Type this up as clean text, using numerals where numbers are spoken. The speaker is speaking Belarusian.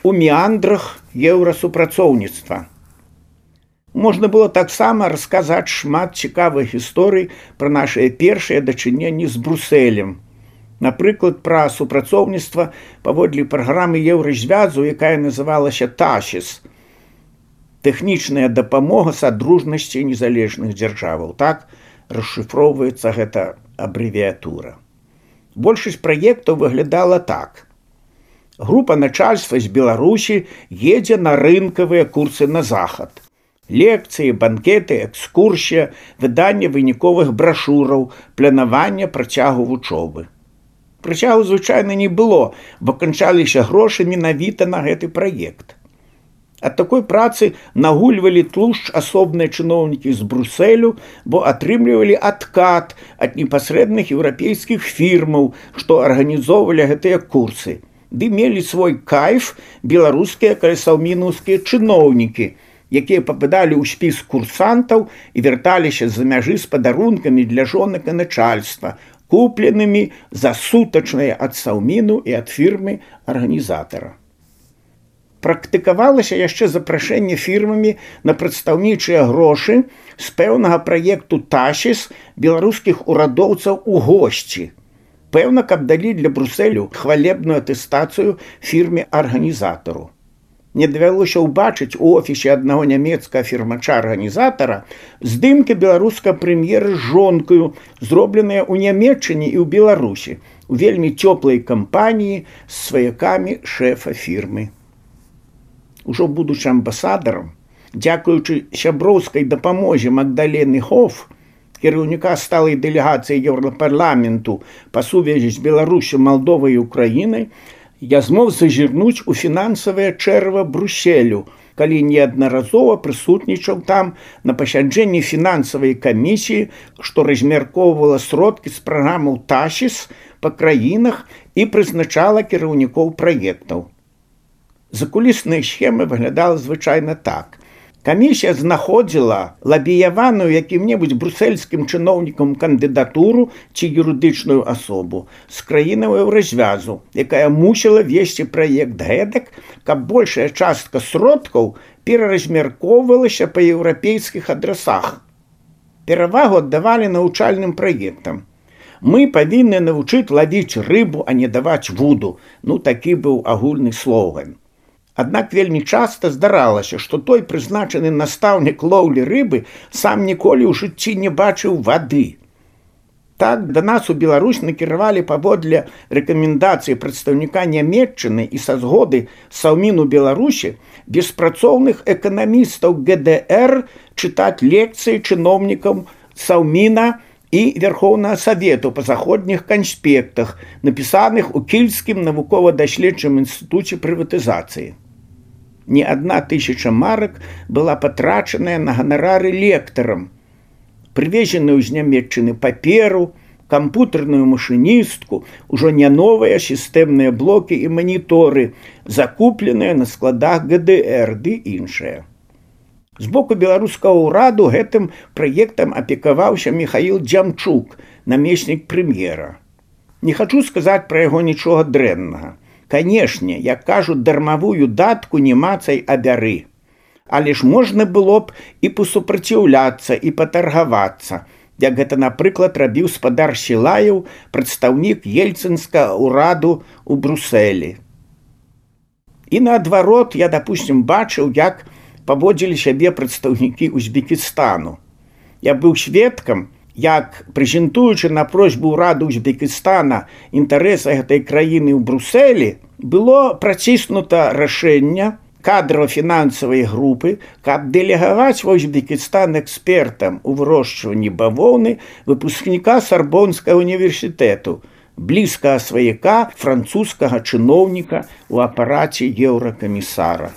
у меандрах еўрасупрацоўніцтва. Можна было таксама расказаць шмат цікавых гісторый пра нашыя першыя дачыненні з Брусэлем. Напрыклад, пра супрацоўніцтва паводле праграмы Еўразвязу, якая называлася ТАСІС – тэхнічная дапамога садружнасці незалежных дзяржаваў. Так расшыфроўваецца гэта абрэвіятура. Большасць праектаў выглядала так. Група начальства з Беларусі едзе на рынкавыя курсы на захад. Лекцыі, банкеты, экскурсія, выданне выніковых брашураў, планаванне працягу вучобы. Працягу звычайна не было, бо канчаліся грошы менавіта на гэты праект. Ад такой працы нагульвалі тлушч асобныя чыноўнікі з Брусэлю, бо атрымлівалі адкат ад непасрэдных еўрапейскіх фірмаў, што арганізоўвалі гэтыя курсы, ды мелі свой кайф беларускія калясаўмінаўскія чыноўнікі, якія пападалі ў спіс курсантаў і вярталіся з-за мяжы з падарункамі для жонак і начальства, купленымі за сутачныя ад саўміну і ад фірмы арганізатара. Практыкавалася яшчэ запрашэнне фірмамі на прадстаўнічыя грошы з пэўнага праекту ТАСІС беларускіх урадоўцаў у госці. Пэўна, каб далі для Брусэлю хвалебную атэстацыю фірме-арганізатару. Не давялося ўбачыць у офісе аднаго нямецкага фірмача-арганізатара здымкі беларускага прэм'ера з жонкаю, зробленыя ў Нямецчыне і ў Беларусі, у вельмі цёплай кампаніі з сваякамі шэфа фірмы. Ужо будучы амбасадарам, дзякуючы сяброўскай дапамозе Магдалены Хофф, кіраўніка сталай дэлегацыі Еўрапарламенту па сувязі з Беларусю, Малдовай і Украінай, я змог зазірнуць у фінансавае чэрва Брусселю, калі неаднаразова прысутнічаў там на пасяджэнні фінансавай камісіі, што размяркоўвала сродкі з праграмаў ТАСІС па краінах і прызначала кіраўнікоў праектаў. Закулісная схема выглядала звычайна так. Камісія знаходзіла лабіяваную якім-небудзь брусельскім чыноўнікам кандыдатуру ці юрыдычную асобу з краінаў Еўразвязу, якая мусіла весці праект гэтак, каб большая частка сродкаў пераразмяркоўвалася па еўрапейскіх адрасах. Перавагу аддавалі навучальным праектам. Мы павінны навучыць лавіць рыбу, а не даваць вуду. Такі быў агульны слоган. Аднак вельмі часта здаралася, што той прызначаны настаўнік лоўлі рыбы сам ніколі ў жыцці не бачыў вады. Так да нас у Беларусь накіравалі паводле рэкамендацыі прадстаўніка Нямецчыны і са згоды Саўміну Беларусі беспрацоўных эканамістаў ГДР чытаць лекцыі чыноўнікам Саўміна і Верхоўнага Савету па заходніх канспектах, напісаных у Кільскім навукова-даследчым інстытуце прыватызацыі. Не 1000 марак была патрачаная на ганарары лектарам, прывезеную з Нямецчыны паперу, кампутарную машыністку, ужо не новыя сістэмныя блокі і маніторы, закупленыя на складах ГДР ды іншыя. З боку беларускага ўраду гэтым праектам апекаваўся Міхаіл Дзямчук, намеснік прэм'ера. Не хачу сказаць пра яго нічога дрэннага. Канешне, як кажуць, дармавую датку не мацай, а бяры. Але ж можна было б і пасупраціўляцца, і патаргавацца, як гэта, напрыклад, рабіў спадар Сілаеў, прадстаўнік ельцынскага ўраду ў Брусэлі. І наадварот, я, допустим, бачыў, як паводзілі сябе прадстаўнікі Узбекістану. Я быў сведкам, як, прэзентуючы на просьбу ўраду Узбекістана інтарэсы гэтай краіны ў Брусэлі, было праціснута рашэнне кадрава-фінансавай групы, каб дэлегаваць ва Узбекістан экспертам у вырошчванні бавоўны выпускніка Сарбонскага універсітэту, блізкага сваяка французскага чыноўніка ў апараце еўракамісара.